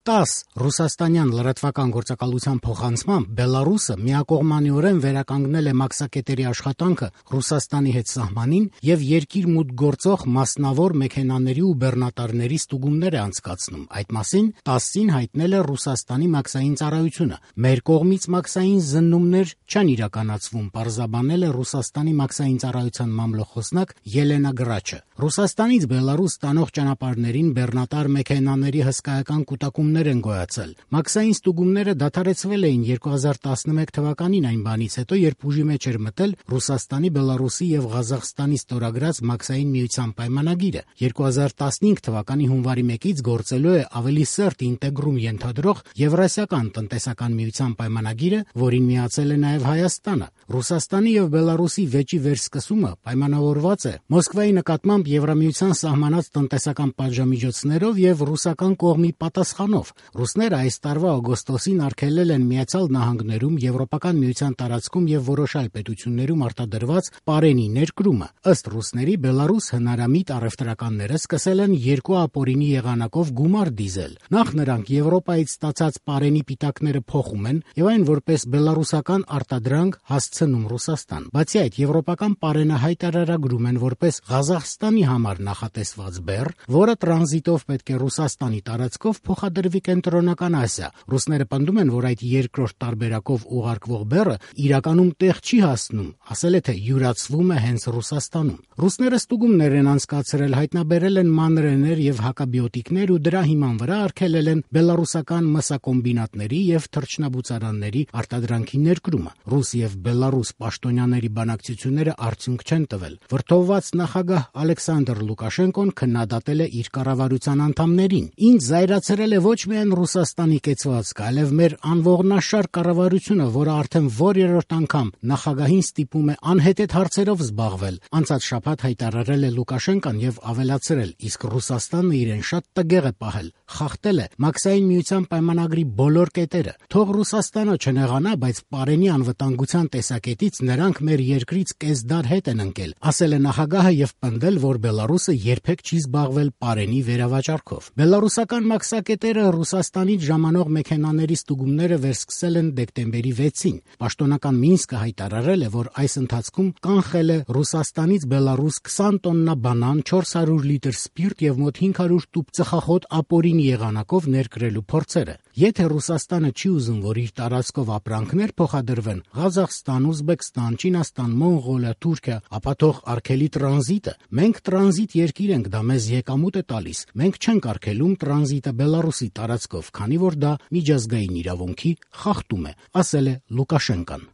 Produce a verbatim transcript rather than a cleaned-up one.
տաս ռուսաստանյան լրատվական գործակալության փոխանցմամբ Բելարուսը միակողմանիորեն վերականգնել է մաքսակետերի աշխատանքը Ռուսաստանի հետ սահմանին եւ երկիր մուտք գործող մասնավոր մեքենաների ու բեռնատարների ստուգումներ է անցկացնում։ Այդ մասին տասին հայտնել է Ռուսաստանի մաքսային ծառայությունը։ Մեր կողմից մաքսային զննումներ չեն իրականացվում, պարզաբանել է Ռուսաստանի մաքսային ծառայության մամլոխոսնակ Ելենա Գրաչը։ Ռուսաստանից Բելարուս տանող ճանապարհներին բեռնատար մեքենաների հսկայական կուտակումներ են գոյացել։ Մաքսային ստուգումները դադարեցվել էին երկու հազար տասնմեկ թվականին այն բանից հետո, երբ ուժի մեջ էր մտել Ռուսաստանի, Բելարուսի եւ Ղազախստանի ստորագրած մաքսային միության պայմանագիրը։ երկու հազար տասնհինգ թվականի հունվարի մեկից գործելու է ավելի սերտ ինտեգրում ենթադրող Եվրասիական տնտեսական միության պայմանագիրը, որին միացել է նաեւ Հայաստանը։ Ռուսաստանի եւ Բելարուսի վեճի վերսկսումը պայմանավորված է Մոսկվայի նկատմամբ Եվրամիության սահմանած տնտեսական պատժամիջոցներով եւ ռուսական կողմի պատասխանով։ Ռուսները այս տարվա օգոստոսին արգելել են Միացյալ Նահանգներում, Եվրոպական միության տարածքում եւ որոշ այլ պետություններում արտադրված պարենի ներկրումը։ Ըստ ռուսների, Բելարուս հնարամիտ առևտրականները սկսել են երկու ապօրինի եղանակով գումար դիզել։ Նախ նրանք Եվրոպայից ստացած պարենի պիտակները փոխում են եւ այն որպես բելարուսական արտադրանք հասցնում Ռուսաստան։ Բացի այդ, եվրոպական պարենը հայտարարագրում են որպես Ղազախստանի համար նախատեսված բեռ, որը տրանզիտով պետք է Ռուսաստանի տարածքով փոխադրվի Կենտրոնական Ասիա։ Ռուսները պնդում են, որ այդ երկրորդ տարբերակով ուղարկվող բեռը իրականում տեղ չի հասնում, ասել է թե յուրացվում է հենց Ռուսաստանում։ Ռուսները ստուգումներ են անցկացրել, հայտնաբերել են մանրեներ եւ հակաբիոտիկներ ու դրա հիման վրա արգելել են բելարուսական մսակոմբինատների եւ թռչնաբուծարանների արտադրանքի ներկրումը։ Ռուս եւ Բելարուս պաշտոնյաների բանակցությունները արդյունք չեն տվել։ Վրդովված նախագահ Ալեքսանդր Լուկաշենկոն քննադատել է իր կառավարության անդամներին։ Ինձ զայրացրել է ոչ միայն Ռուսաստանի կեցվածքը, այլև մեր անողնաշար կառավարությունը, որը արդեն որերորդ անգամ նախագահին ստիպում է անհետեթ հարցերով զբաղվել։ Անցած շաբաթ հայտարարել է Լուկաշենկան եւ ավելացրել, իսկ Ռուսաստանը իրեն շատ տգեղ է պահել, խախտել է մաքսային միության պայմանագրի բոլոր կետերը։ Թող Ռուսաստանը չնեղանա, բայց պարենի անվտանգության տեսակետից նրանք մեր երկրից կեսդար հետ են ընկել, ասել է նախագահը եւ պնդել, որ Բելարուսը երբեք չի զբաղվել պարենի վերավաճառքով։ Բելարուսական մաքսակետերը Ռուսաստանից ժամանող մեքենաների ստուգումները վերսկսել են դեկտեմբերի վեցին։ Պաշտոնական Մինսկը հայտարարել է, որ այս ընթացքում կանխել է Ռուսաստանից Բելարուս քսան տոննա բանան, չորս հարյուր լիտր սպիրտ եւ մոտ հինգ հարյուր տուփ ծխախոտ ապօրինի եղանակով ներկրելու փորձերը։ Եթե Ռուսաստանը չի ուզում, որ իր տարածքով ապրանքներ փոխադրվեն Ղազախստան, Ուզբեկստան, Չինաստան, Մոնղոլիա, Թուրքիա, ապա թող արգելի տրանզիտը։ Մենք տրանզիտ երկիր ենք, դա մեզ եկամուտ է տալիս։ Մենք չենք արգելում տրանզիտը Բելարուսի տարածքով, քանի որ դա միջազգային իրավունքի խախտում է, ասել է Լուկաշենկան։